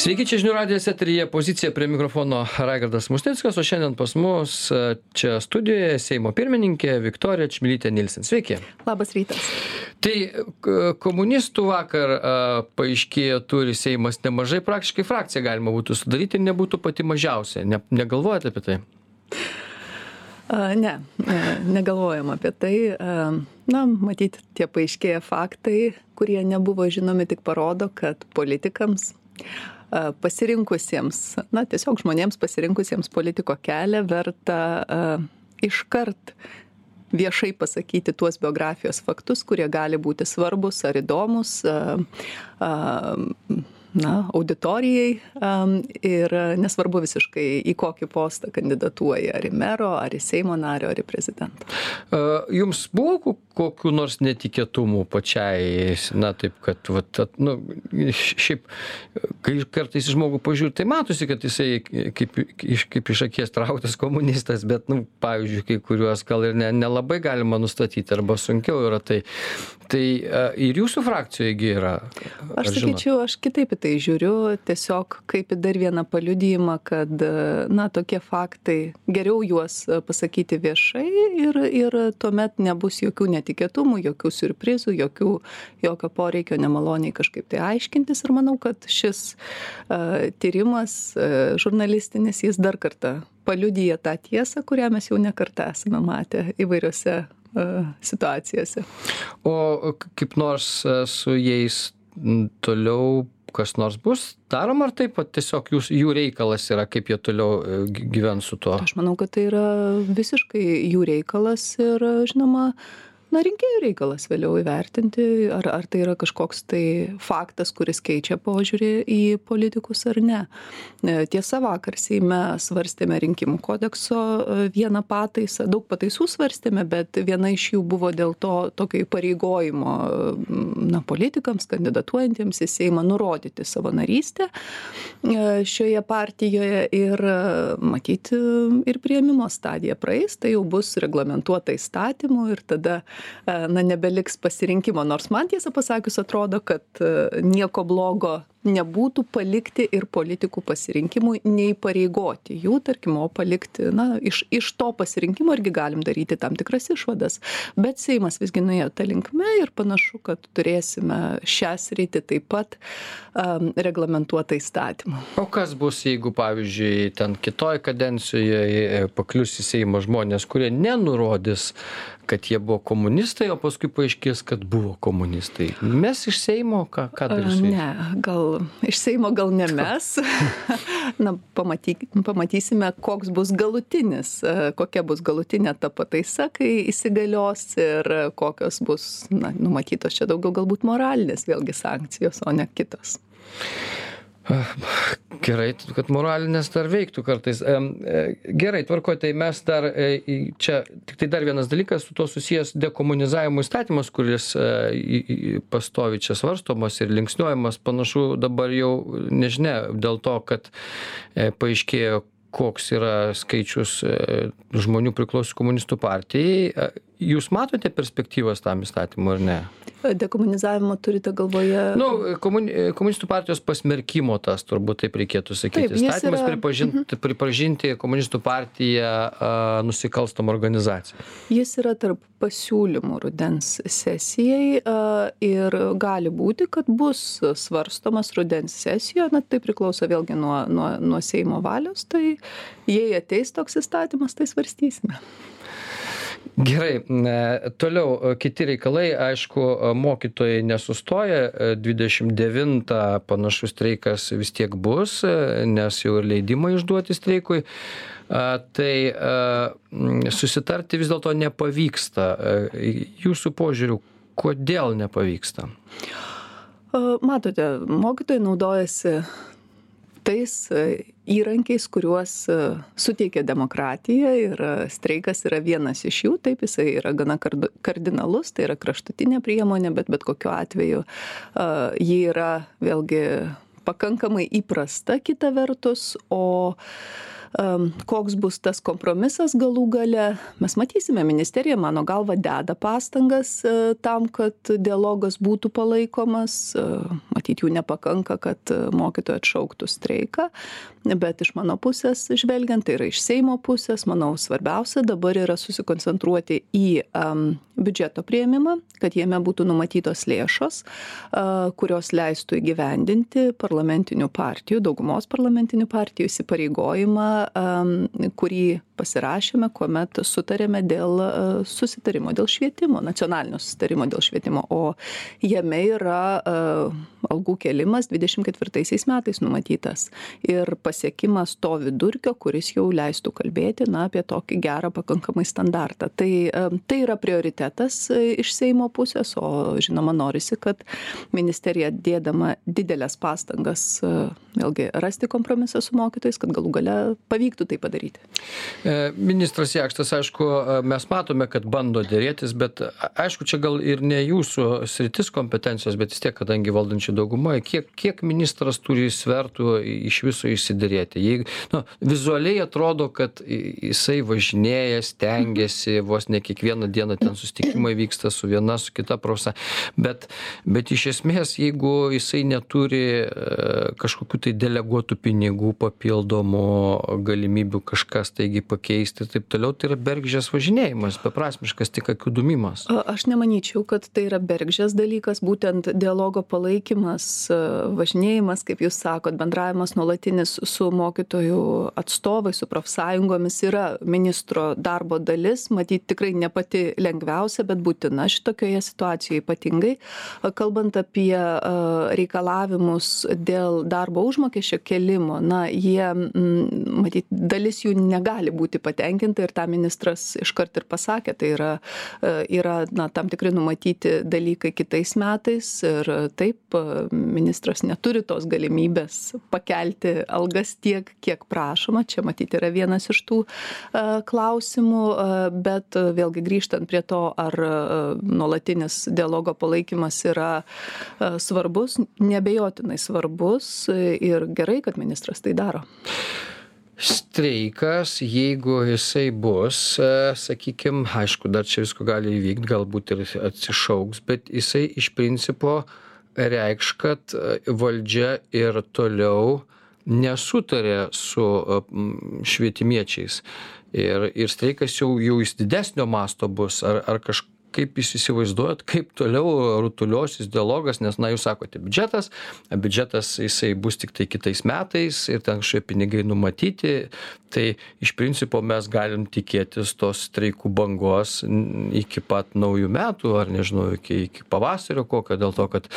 Sveiki, čia žinių radijas eteryje pozicija prie mikrofono Raigardas Musnickas, o šiandien pas mus čia studijoje Seimo pirmininkė Viktorija Čmilytė Nilsen. Sveiki. Labas rytas. Tai komunistų vakar paaiškėjo turi Seimas nemažai, praktiškai frakciją galima būtų sudaryti ir nebūtų pati mažiausia. Negalvojate apie tai? Negalvojam apie tai. Matyti, tie paaiškėję faktai, kurie nebuvo žinomi, tik parodo, kad politikams pasirinkusiems, tiesiog žmonėms pasirinkusiems politiko kelią verta iškart viešai pasakyti tuos biografijos faktus, kurie gali būti svarbus ar įdomus auditorijai ir nesvarbu visiškai į kokį postą kandidatuoja, ar į mero, ar į Seimo nario, ar į prezidentą. Jums buvo kokių nors netikėtumų pačiai, taip kad, šiaip, kai kartais žmogų pažiūrė, tai matosi, kad jisai kaip iš akies trauktas komunistas, bet, pavyzdžiui, kai kuriuos gal ir nelabai galima nustatyti, arba sunkiau yra tai. Tai ir jūsų frakcijoje yra? Aš sakyčiau, aš kitaip į tai žiūriu, tiesiog kaip į dar vieną paliudijimą, kad, tokie faktai, geriau juos pasakyti viešai ir tuomet nebus jokių netikėtumų, jokių siurprizų, jokio poreikio nemaloniai kažkaip tai aiškintis. Ir manau, kad šis tyrimas žurnalistinis, jis dar kartą paliudija tą tiesą, kurią mes jau ne kartą esame matę įvairiose situacijose. O kaip nors su jais toliau kas nors bus daroma, ar taip, tiesiog jų reikalas yra, kaip jie toliau gyvens su tuo? Aš manau, kad tai yra visiškai jų reikalas ir, žinoma, rinkėjų reikalas vėliau įvertinti, ar tai yra kažkoks tai faktas, kuris keičia požiūrį į politikus ar ne. Tiesa, vakar Seime svarstėme rinkimų kodekso vieną pataisą, daug pataisų svarstėme, bet viena iš jų buvo dėl to tokio įpareigojimo politikams, kandidatuojantiems į Seimą nurodyti savo narystę šioje partijoje ir matyti ir priėmimo stadija praeis, tai jau bus reglamentuota įstatymu ir tada nebeliks pasirinkimo, nors man tiesą pasakius atrodo, kad nieko blogo nebūtų palikti ir politikų pasirinkimui, neįpareigoti jų, tarkim, o palikti, iš to pasirinkimo irgi galim daryti tam tikras išvadas, bet Seimas visgi nuėjo tą linkme ir panašu, kad turėsime šią sritį taip pat reglamentuotą įstatymą. O kas bus, jeigu, pavyzdžiui, ten kitoj kadencijoje paklius į Seimą žmonės, kurie nenurodys, kad jie buvo komunistai, o paskui paaiškės, kad buvo komunistai. Mes iš Seimo, ką darysime? Ne, iš Seimo gal ne mes. Pamatysime, koks bus galutinis, kokia bus galutinė ta pataisa, kai įsigalios ir kokios bus numatytos čia daugiau galbūt moralinės vėlgi sankcijos, o ne kitos. Gerai, kad moralinės dar veiktų kartais. Gerai, tvarkoj, tai mes dar čia, tik tai dar vienas dalykas su to susijęs dekomunizavimo įstatymas, kuris pastovi čia svarstomas ir linksniuojamas, panašu dabar jau nežinia, dėl to, kad paaiškėjo, koks yra skaičius žmonių priklauso komunistų partijai. Jūs matote perspektyvas tam įstatymu ar ne? Dekomunizavimo turite galvoje? Komunistų partijos pasmerkimo tas, turbūt taip reikėtų sakyti. Taip, įstatymas pripažinti komunistų partiją nusikalstamą organizaciją. Jis yra tarp pasiūlymų rudens sesijai ir gali būti, kad bus svarstomas rudens sesijoje, tai priklauso vėlgi nuo Seimo valios, tai jei ateis toks įstatymas, tai svarstysime. Gerai, toliau kiti reikalai, aišku, mokytojai nesustoja, 29 panašus streikas vis tiek bus, nes jau ir leidimai išduoti streikui, tai susitarti vis dėlto nepavyksta. Jūsų požiūriu, kodėl nepavyksta? Matote, mokytojai naudojasi tais įrankiais, kuriuos suteikia demokratija ir streikas yra vienas iš jų, taip jisai yra gana kardinalus, tai yra kraštutinė priemonė, bet kokiu atveju ji yra vėlgi pakankamai įprasta kita vertus, o Koks bus tas kompromisas galų gale, mes matysime, ministerija, mano galva, deda pastangas tam, kad dialogas būtų palaikomas. Matyt, jų nepakanka, kad mokytojai atšauktų streiką, bet iš mano pusės žvelgiant, tai yra iš Seimo pusės, manau, svarbiausia dabar yra susikoncentruoti į biudžeto priėmimą, kad jame būtų numatytos lėšos, kurios leistų įgyvendinti parlamentinių partijų, daugumos parlamentinių partijų įsipareigojimą, kurį pasirašėme, kuomet sutarėme dėl susitarimo, dėl švietimo, nacionalinio susitarimo dėl švietimo, o jame yra algų kėlimas 24 metais numatytas ir pasiekimas to vidurkio, kuris jau leistų kalbėti apie tokį gerą pakankamai standartą. Tai yra prioritetas iš Seimo pusės, o žinoma norisi, kad ministerija dėdama didelės pastangas vėlgi rasti kompromisą su mokytojais, kad galų gale pavyktų tai padaryti. Ministras Jakštas, aišku, mes matome, kad bando dėrėtis, bet aišku, čia gal ir ne jūsų sritis kompetencijos, bet vis tiek, kadangi valdančių daugumoje, kiek ministras turi svertų iš viso išsiderėti. Vizualiai atrodo, kad jisai važinėja, stengiasi, vos ne kiekvieną dieną ten susitikimai vyksta su viena, su kita profsąjunga, bet iš esmės, jeigu jisai neturi kažkokių tai deleguotų pinigų, papildomų galimybių kažkas taigi pakeisti ir taip toliau, tai yra bergždžias važinėjimas, beprasmiškas tik akių dūmimas. Aš nemanyčiau, kad tai yra bergždžias dalykas, būtent dialogo palaikymas, važinėjimas, kaip jūs sakot, bendravimas nuolatinis su mokytojų atstovai, su profsąjungomis yra ministro darbo dalis, matyt tikrai ne pati lengviausia, bet būtina šitokioje situacijoje ypatingai. Kalbant apie reikalavimus dėl darbo užmokesčio kėlimo, jie, matyt, dalis jų negali būti patenkinta ir tą ministras iškart ir pasakė, tai yra tam tikri numatyti dalykai kitais metais ir taip ministras neturi tos galimybės pakelti algas tiek, kiek prašoma, čia matyti yra vienas iš tų klausimų, bet vėlgi grįžtant prie to, ar nuolatinis dialogo palaikymas yra svarbus, neabejotinai svarbus ir gerai, kad ministras tai daro. Streikas, jeigu jisai bus, sakykime, aišku, dar čia visko gali įvykti, galbūt ir atsišauks, bet jisai iš principo reikš, kad valdžia ir toliau nesutarė su švietimiečiais. Ir streikas jau jis didesnio masto bus, ar kažkaip jūs įsivaizduojat, kaip toliau rutuliosis dialogas, nes, jūs sakote, biudžetas jisai bus tik tai kitais metais ir ten šie pinigai numatyti, tai iš principo mes galim tikėtis tos streikų bangos iki pat naujų metų, ar nežinau, iki pavasario kokio, dėl to, kad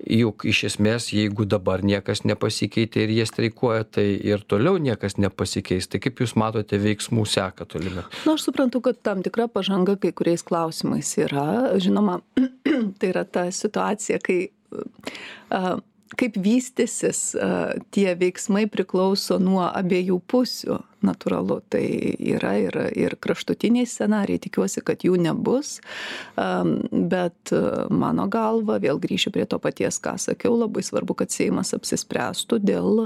juk iš esmės, jeigu dabar niekas nepasikeitė ir jie streikuoja, tai ir toliau niekas nepasikeis. Tai kaip jūs matote veiksmų seką tolime? Aš suprantu, kad tam tikra pažanga kai kuriais klausimais yra. Žinoma, tai yra ta situacija, kai kaip vystysis tie veiksmai priklauso nuo abiejų pusių. Natūralu, tai yra ir kraštutiniai scenarijai, tikiuosi, kad jų nebus, bet mano galva, vėl grįšiu prie to paties, ką sakiau, labai svarbu, kad Seimas apsispręstų dėl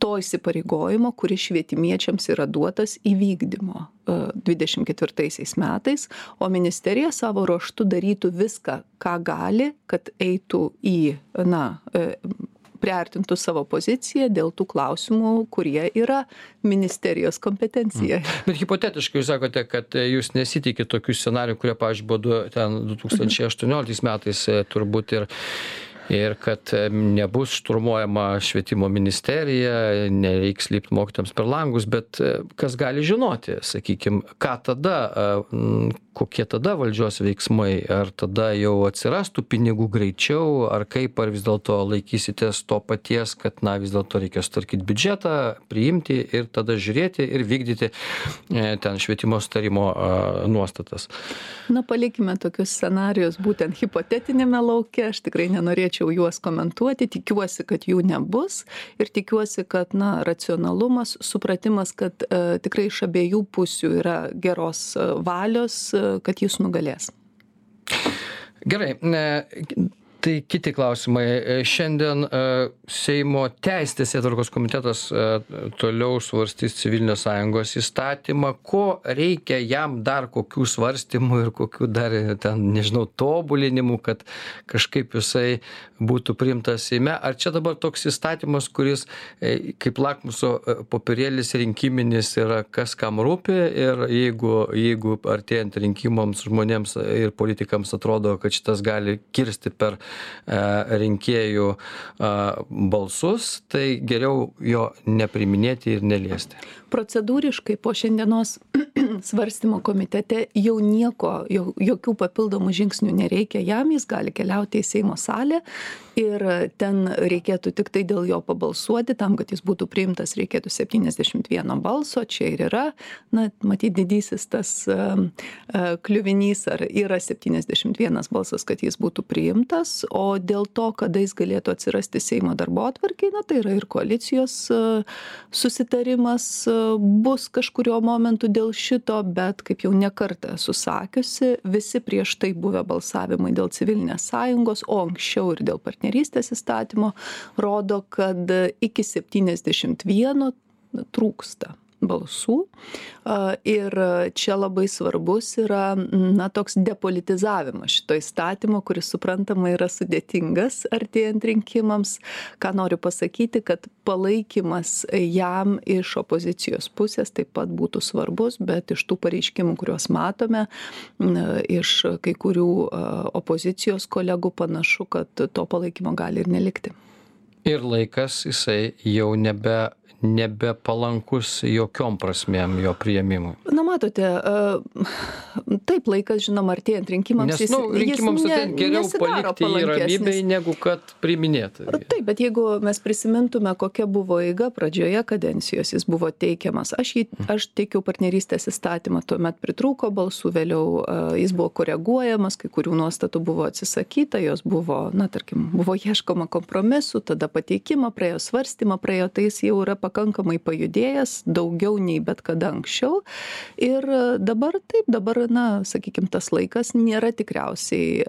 to įsipareigojimo, kuris švietimiečiams yra duotas įvykdymo 24 metais, o ministerija savo ruožtu darytų viską, ką gali, kad eitų į, priartintų savo poziciją dėl tų klausimų, kurie yra ministerijos kompetencija. Bet hipotetiškai jūs sakote, kad jūs nesitikite tokių scenarijų, kurie, pavyzdžiui, buvo ten 2018 metais turbūt ir kad nebus šturmuojama švietimo ministerija, nereiks lipti mokytojams per langus, bet kas gali žinoti, sakykime, ką tada, kokie tada valdžios veiksmai, ar tada jau atsirastų pinigų greičiau, ar kaip, ar vis dėlto laikysitės to paties, kad vis dėlto reikia sutvarkyti biudžetą, priimti ir tada žiūrėti ir vykdyti ten švietimo sutarimo nuostatas. Palikime tokius scenarijus būtent hipotetinėme lauke, aš tikrai nenorėčiau juos komentuoti, tikiuosi, kad jų nebus ir tikiuosi, kad racionalumas, supratimas, kad tikrai iš abiejų pusių yra geros valios, kad jis nugalės. Gerai. Tai kiti klausimai. Šiandien Seimo Teisės teisėtvarkos komitetas toliau svarstys civilinės sąjungos įstatymą. Ko reikia jam dar, kokių svarstymų ir kokių dar ten, nežinau, tobulinimų, kad kažkaip jisai būtų priimtas Seime? Ar čia dabar toks įstatymas, kuris kaip lakmuso popierėlis rinkiminis yra kas kam rūpi ir jeigu artėjant rinkimams žmonėms ir politikams atrodo, kad šitas gali kirsti per rinkėjų balsus, tai geriau jo nepriminėti ir neliesti. Procedūriškai po šiandienos svarstymo komitete jau jokių papildomų žingsnių nereikia jam, jis gali keliauti į Seimo salę ir ten reikėtų tik tai dėl jo pabalsuoti, tam, kad jis būtų priimtas, reikėtų 71 balso, čia ir yra, matyt, didysis tas kliuvinys, ar yra 71 balsas, kad jis būtų priimtas, o dėl to, kada jis galėtų atsirasti Seimo darbotvarkėj, tai yra ir koalicijos susitarimas bus kažkurio momentu dėl šito, bet kaip jau nekartą esu sakiusi, visi prieš tai buvę balsavimai dėl civilinės sąjungos, o anksčiau ir dėl partnerystės įstatymo, rodo, kad iki 71 trūksta balsų. Ir čia labai svarbus yra toks depolitizavimas šito įstatymo, kuris suprantama yra sudėtingas artėjant rinkimams. Ką noriu pasakyti, kad palaikymas jam iš opozicijos pusės taip pat būtų svarbus, bet iš tų pareiškimų, kuriuos matome, iš kai kurių opozicijos kolegų panašu, kad to palaikymo gali ir nelikti. Ir laikas jisai jau nebepalankus jokiom prasmėm jo priėmimui. Matote, taip laikas, žinoma, artėjant rinkimams, nes, rinkimams artėjant geriau palikti jį ramybėj, negu kad priiminėti. Taip, bet jeigu mes prisimintume, kokia buvo eiga pradžioje kadencijos, jis buvo teikiamas. Aš teikiau partnerystės įstatymą, tuomet pritrūko balsų, vėliau jis buvo koreguojamas, kai kurių nuostatų buvo atsisakyta, jos buvo, buvo ieškoma kompromisų, tada pateikimą praėjo, svarstymą praėjo, tai jis jau yra pakankamai pajudėjęs, daugiau nei bet kada anksčiau. Ir dabar, sakykime, tas laikas nėra tikriausiai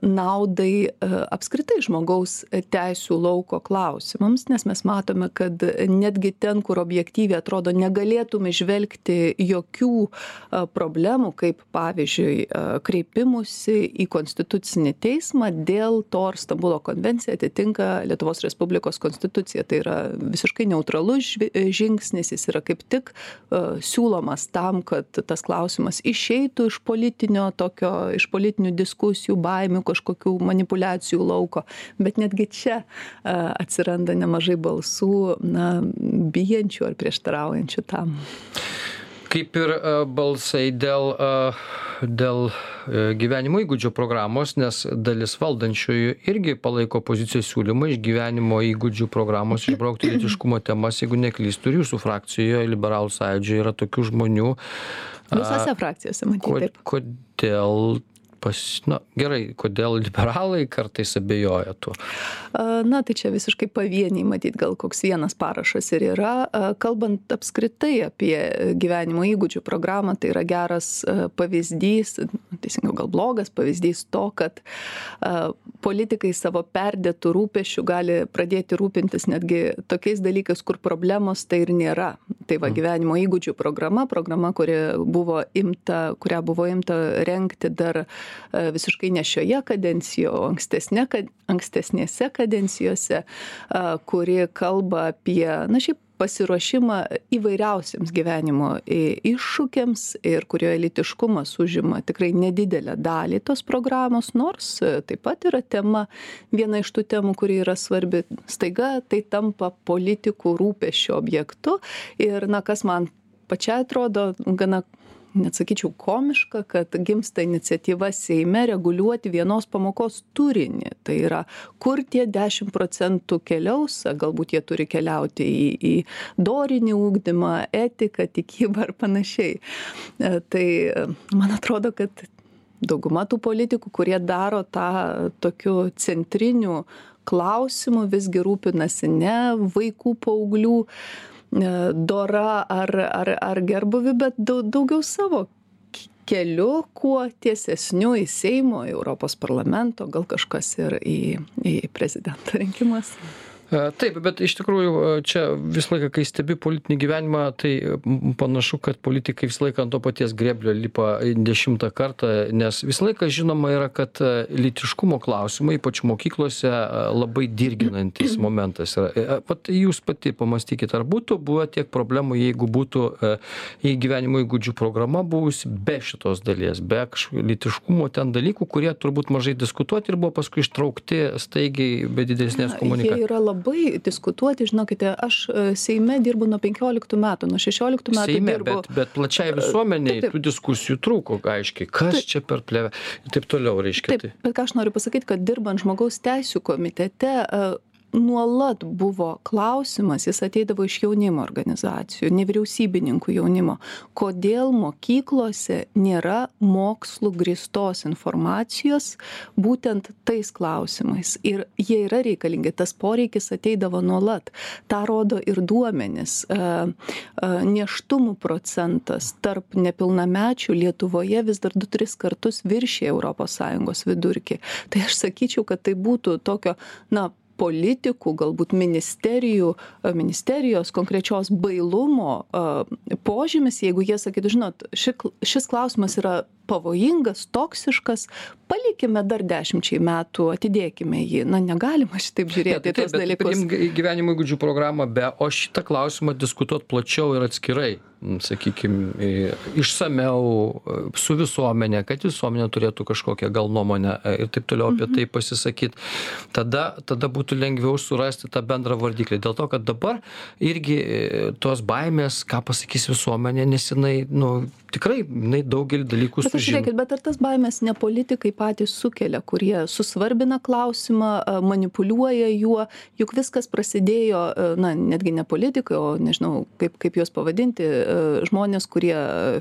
naudai apskritai žmogaus teisių lauko klausimams, nes mes matome, kad netgi ten, kur objektyviai atrodo negalėtume žvelgti jokių problemų, kaip pavyzdžiui kreipimusi į konstitucinį teismą dėl to, ar Stambulo konvencija atitinka Lietuvos Respublikos konstituciją. Tai yra visiškai neutralus žingsnis, jis yra kaip tik siūlomas tam, kad tas klausimas išeitų iš politinių diskusijų, baimių, kažkokių manipulacijų lauko. Bet netgi čia atsiranda nemažai balsų, bijančių ar prieštaraujančių tam. Kaip ir balsai dėl gyvenimo įgūdžių programos, nes dalis valdančiųjų irgi palaiko opozicijos siūlymą iš gyvenimo įgūdžių programos išbraukti lytiškumo temas, jeigu neklystu, ir jūsų frakcijoje, Liberalų sąjūdžio, yra tokių žmonių. Visose frakcijose, matyti taip. Kodėl gerai, kodėl liberalai kartais abejoja tuo? Tai čia visiškai pavieniai, matyt, gal koks vienas parašas ir yra. Kalbant apskritai apie gyvenimo įgūdžių programą, tai yra geras pavyzdys, teisingiau gal blogas pavyzdys to, kad politikai savo perdėtų rūpesčių gali pradėti rūpintis netgi tokiais dalykais, kur problemos tai ir nėra. Tai va, gyvenimo įgūdžių programa, kurią buvo imta rengti dar visiškai ne šioje kadencijoje, o ankstesnėse kadencijose, kuri kalba apie, šiaip pasiruošimą įvairiausiams gyvenimo iššūkiams ir kurioje lytiškumas užima tikrai nedidelę dalį tos programos, nors taip pat yra viena iš tų temų, kuri yra svarbi. Staiga tai tampa politikų rūpesčio objektu ir, kas man pačiai atrodo gana, net sakyčiau, komiška, kad gimsta iniciatyva Seime reguliuoti vienos pamokos turinį. Tai yra, kur tie 10% keliaus, galbūt jie turi keliauti į dorinį ugdymą, etiką, tikybą ar panašiai. Tai man atrodo, kad dauguma tų politikų, kurie daro tą tokiu centriniu klausimu, visgi rūpinasi ne vaikų, paauglių dora ar gerbuvi, bet daugiau savo keliu kuo tiesesniu į Seimo, į Europos parlamento, gal kažkas ir į prezidento rinkimus. Taip, bet iš tikrųjų čia visą laiką, kai stebi politinį gyvenimą, tai panašu, kad politikai visą laiką ant to paties grėblio lipa 10 kartą, nes visą laiką žinoma yra, kad lytiškumo klausimai, ypač mokyklose, labai dirginantis momentas yra. Pat jūs pati pamastykite, ar būtų buvę tiek problemų, jeigu būtų į gyvenimo įgūdžių programa buvusi be šitos dalies, be lytiškumo ten dalykų, kurie turbūt mažai diskutuoti ir buvo paskui ištraukti staigiai be didesnės komunikacijos. Labai diskutuoti, žinokite, aš Seime dirbu nuo 15 metų, nuo 16 metų Seime, dirbu. Bet plačiai visuomeniai Taip. tų diskusijų trūko, aiškiai, kas čia per plėvę ir taip toliau, reiškia. Taip, bet ką aš noriu pasakyti, kad dirbant žmogaus teisių komitete, nuolat buvo klausimas, jis ateidavo iš jaunimo organizacijų, nevyriausybininkų jaunimo, kodėl mokyklose nėra mokslų grįstos informacijos būtent tais klausimais. Ir jie yra reikalingi, tas poreikis ateidavo nuolat. Ta rodo ir duomenis. Nėštumų procentas tarp nepilnamečių Lietuvoje vis dar 2-3 kartus viršė ES vidurkį. Tai aš sakyčiau, kad tai būtų tokio, politikų, galbūt ministerijos konkrečios bailumo požymis, jeigu jie sakytų, žinot, šis klausimas yra pavojingas, toksiškas, palikime dar 10 metų, atidėkime jį. Negalima šitaip žiūrėti į tos dalykus. Gyvenimo įgūdžių programą o šitą klausimą diskutuoti plačiau ir atskirai, sakykime, išsameu su visuomenė, kad visuomenė turėtų kažkokią gal nuomonę ir taip toliau apie tai pasisakyti. Tada būtų lengviau surasti tą bendrą vardiklį. Dėl to, kad dabar irgi tos baimės, ką pasakys visuomenė, nes jinai, tikrai, jinai daugelį dalykų sužino. Žiūrėkit, bet ar tas baimės ne politikai patys sukelia, kurie susvarbina klausimą, manipuliuoja juo, juk viskas prasidėjo, netgi ne politikai, o nežinau, kaip juos pavadinti, žmonės, kurie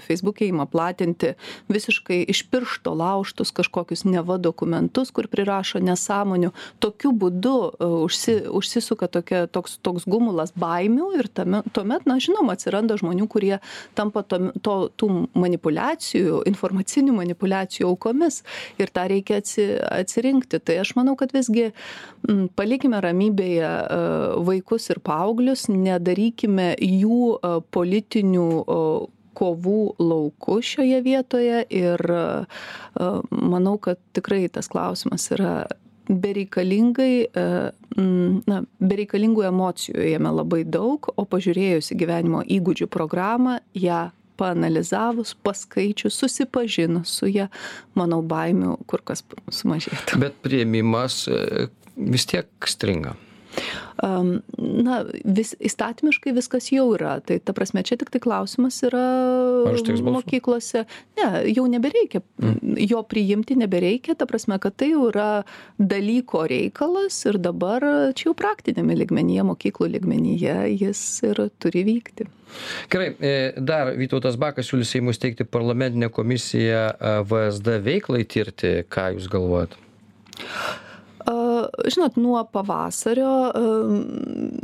Facebook'e ima platinti visiškai iš piršto laužtus kažkokius neva dokumentus, kur prirašo nesąmonių. Tokiu būdu užsisuka toks gumulas baimių ir tuomet, žinoma, atsiranda žmonių, kurie tampa tų manipuliacijų, informacinių manipuliacijų aukomis ir tą reikia atsirinkti. Tai aš manau, kad visgi palikime ramybėje vaikus ir paauglius, nedarykime jų politinių kovų lauku šioje vietoje ir manau, kad tikrai tas klausimas yra bereikalingų emocijų jame labai daug, o pažiūrėjus į gyvenimo įgūdžių programą, ją paanalizavus, paskaičius, susipažinus su ją, manau, baimių kur kas sumažėtų. Bet priėmimas vis tiek stringa. Įstatymiškai viskas jau yra. Tai ta prasme, čia tik tai klausimas yra mokyklose. Ne, jau nebereikia. Jo priimti nebereikia. Ta prasme, kad tai jau yra dalyko reikalas ir dabar čia jau praktinėme lygmenyje, mokyklų lygmenyje jis ir turi vykti. Gerai, dar Vytautas Bakas siūlys Seimui steigti parlamentinę komisiją VSD veiklai tirti. Ką jūs galvojat? Žinot, nuo pavasario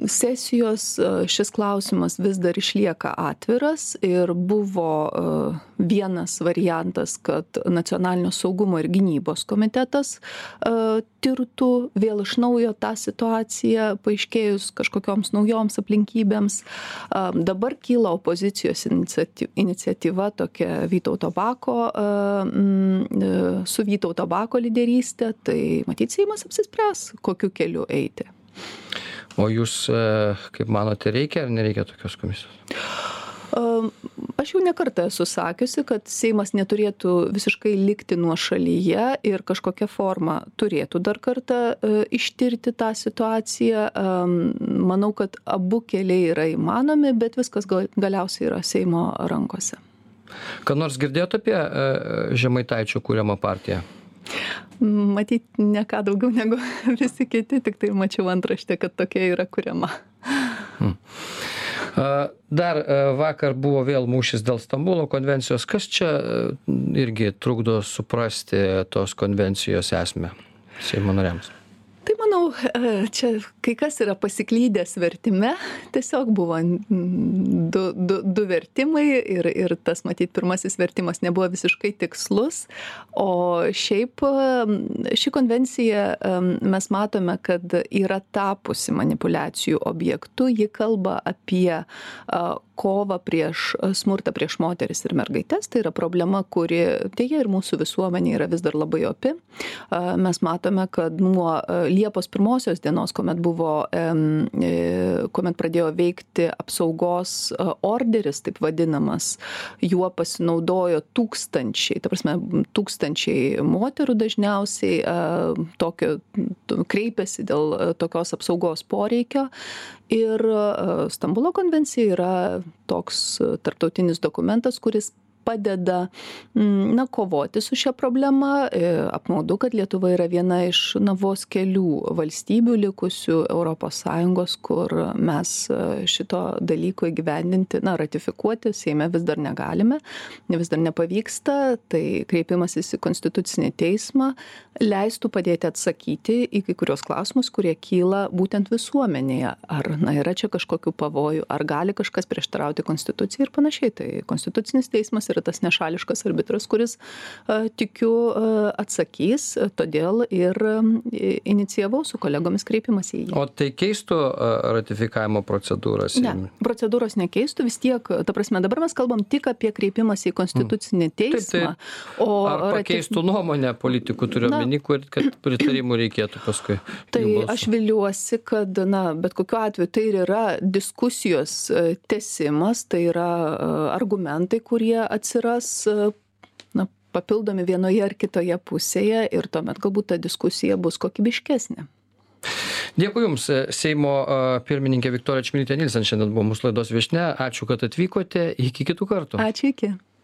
sesijos šis klausimas vis dar išlieka atviras ir buvo vienas variantas, kad Nacionalinio saugumo ir gynybos komitetas tirtų vėl iš naujo tą situaciją, paaiškėjus kažkokioms naujoms aplinkybėms. Dabar kyla opozicijos iniciatyva tokia Vytauto Bako, su Vytauto Bako lyderystė, tai matyt, Seimas apsispręs, kokiu keliu eiti. O jūs, kaip manote, reikia ar nereikia tokios komisijos? Aš jau nekartą esu sakiusi, kad Seimas neturėtų visiškai likti nuošalyje ir kažkokią formą turėtų dar kartą ištirti tą situaciją. Manau, kad abu keliai yra įmanomi, bet viskas galiausiai yra Seimo rankose. Ką nors girdėjote apie Žemaitaičio kuriamą partiją? Matyt, ne ką daugiau negu visi kiti, tik tai mačiau antraštę, kad tokia yra kuriama. Dar vakar buvo vėl mūšis dėl Stambulo konvencijos. Kas čia irgi trukdo suprasti tos konvencijos esmę Seimo nariams? Tai manau, čia kai kas yra pasiklydęs vertime, tiesiog buvo du vertimai ir tas, matyt, pirmasis vertimas nebuvo visiškai tikslus, o šiaip ši konvencija mes matome, kad yra tapusi manipulacijų objektu, ji kalba apie kovą prieš smurtą prieš moteris ir mergaites, tai yra problema, kuri dėja ir mūsų visuomenė yra vis dar labai opi. Mes matome, kad nuo Liepos 1 dienos, kuomet pradėjo veikti apsaugos orderis, taip vadinamas, juo pasinaudojo tūkstančiai moterų dažniausiai kreipiasi dėl tokios apsaugos poreikio. Ir Stambulo konvencija yra toks tarptautinis dokumentas, kuris padeda kovoti su šia problema. Apmaudu, kad Lietuva yra viena iš vos kelių valstybių likusių ES, kur mes šito dalyko įgyvendinti, ratifikuoti Seime vis dar negalime, vis dar nepavyksta. Tai kreipimasis į Konstitucinį teismą leistų padėti atsakyti į kai kurios klausimus, kurie kyla būtent visuomenėje. Ar yra čia kažkokių pavojų, ar gali kažkas prieštarauti Konstitucijai ir panašiai. Tai Konstitucinis teismas yra tas nešališkas arbitras, kuris, tikiu, atsakys, todėl ir inicijavau su kolegomis kreipimąsi į jį. O tai keistų ratifikavimo procedūras? Ne, procedūros nekeistų, vis tiek, ta prasme, dabar mes kalbam tik apie kreipimąsi į Konstitucinį teismą. Ar pakeistų nuomonę politikų, turiu omeny, kad pritarimų reikėtų paskui? Tai aš viliuosi, kad, bet kokiu atveju tai ir yra diskusijos tęsimas, tai yra argumentai, kurie atsiras papildomi vienoje ar kitoje pusėje ir tuomet galbūt ta diskusija bus kokybiškesnė. Dėkui Jums, Seimo pirmininkė Viktorija Čmilytė Nilsen šiandien buvo mūsų laidos viešnia. Ačiū, kad atvykote. Iki kitų kartų. Ačiū, iki.